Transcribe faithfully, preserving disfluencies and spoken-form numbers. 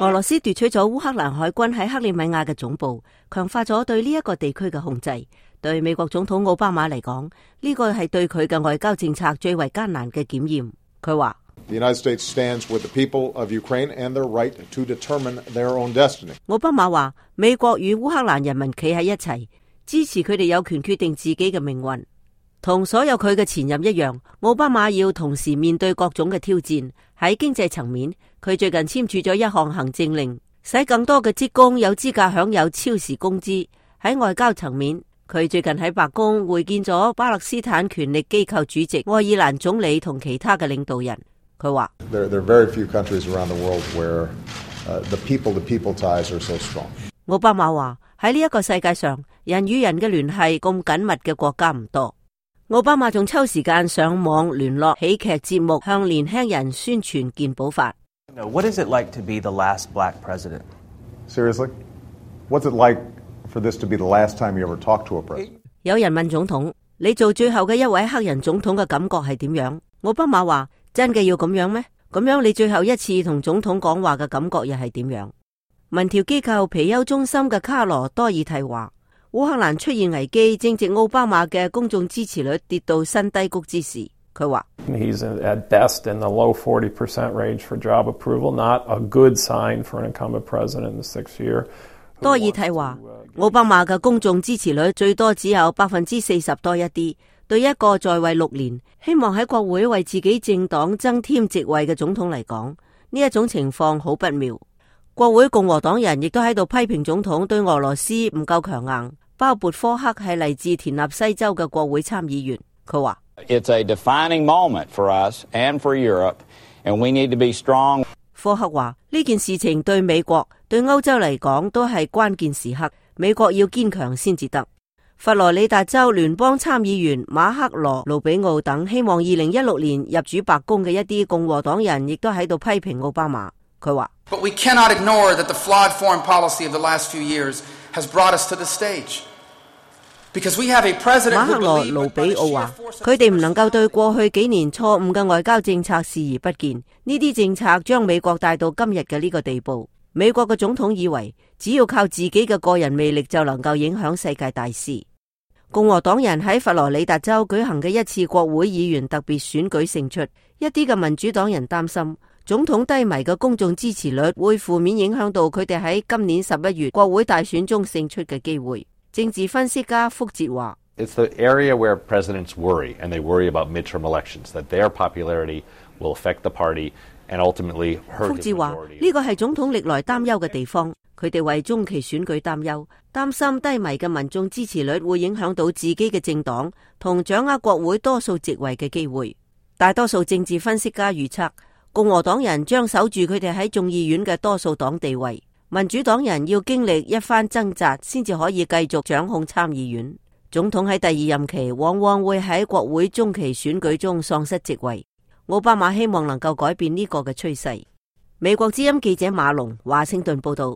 俄羅斯奪取咗烏克蘭海軍喺克里米亞嘅總部，強化咗對呢一個地區嘅控制。對美國總統奧巴馬嚟講，呢個係對佢嘅外交政策最為艱難嘅檢驗。佢話The United States stands with the people of Ukraine and their right to determine their own destiny. 奧巴馬話，美國與烏克蘭人民企喺一齊，支持佢哋有權決定自己嘅命運。同所有佢嘅前任一樣，奧巴馬要同時面對各種嘅挑戰。喺經濟層面，佢最近簽署咗一項行政令，使更多嘅職工有資格享有超時工資。喺外交層面，佢最近喺白宮會見咗巴勒斯坦權力機構主席愛爾蘭總理同其他嘅領導人。佢話：There there are very few countries around the world where the people-to-people ties are so strong. 奧巴馬話，喺呢一個世界上，人與人嘅聯繫咁緊密嘅國家唔多。奧巴馬仲抽時間上網聯絡喜劇節目，向年輕人宣傳健保法。What is it like to be the last black president? Seriously? What's it like for this to be the last time you ever talk to a president? 有人問總統：你做最後嘅一位黑人總統嘅感覺係點樣？奧巴馬話：真嘅要咁樣咩？咁樣你最後一次同總統講話嘅感覺又係點樣？民調機構皮尤中心嘅卡羅多爾蒂話：烏克蘭出現危機，正值奧巴馬嘅公眾支持率跌到新低谷之時。佢話 He's at best in the low forty percent range for job approval, not a good sign for an incumbent president in the sixth year. 多爾蒂話，奧巴馬嘅公眾支持率最多只有百分之四十多一啲，對一個在位六年，希望喺國會為自己政黨增添席位嘅總統嚟講，呢一種情況好不妙。國會共和黨人亦都喺度批評總統對俄羅斯唔夠強硬。鮑勃科克係嚟自田納西州嘅國會參議員，佢話 It's a defining moment for us and for Europe, and we need to be strong. 科克話呢件事情對美國、對歐洲嚟講都係關鍵時刻，美國要堅強先至得。佛羅里達州聯邦參議員馬克羅盧比奧等希望二零一六年入主白宮嘅一啲共和黨人亦都喺度批評奧巴馬。佢話 But we cannot ignore that the flawed foreign policy of the last few years has brought us to the stage. Because we have a president 馬克羅盧比奧話，佢哋唔能夠對過去幾年錯誤嘅外交政策視而不見，呢啲政策將美國帶到今日嘅呢個地步。美國嘅總統以為只要靠自己嘅個人魅力就能夠影響世界大事。共和黨人喺佛羅里達州舉行嘅一次國會議員特別選舉勝出，一啲嘅民主黨人擔心總統低迷嘅公眾支持率會負面影響到佢哋喺今年十一月國會大選中勝出嘅機會。政治分析家福哲話 It's the area where presidents worry, and they worry about midterm elections, that their popularity will affect the party and ultimately hurt the majority. 福哲話呢個係總統歷來擔憂嘅地方，佢哋為中期選舉擔憂，擔心低迷嘅民眾支持率會影響到自己嘅政黨同掌握國會多數席位嘅機會。大多數政治分析家預測，共和黨人將守住佢哋喺眾議院嘅多數黨地位。民主黨人要經歷一番掙扎，先至可以繼續掌控參議院。總統喺第二任期往往會喺國會中期選舉中喪失席位。奧巴馬希望能夠改變呢個嘅趨勢。美國之音記者馬龍華盛頓報道。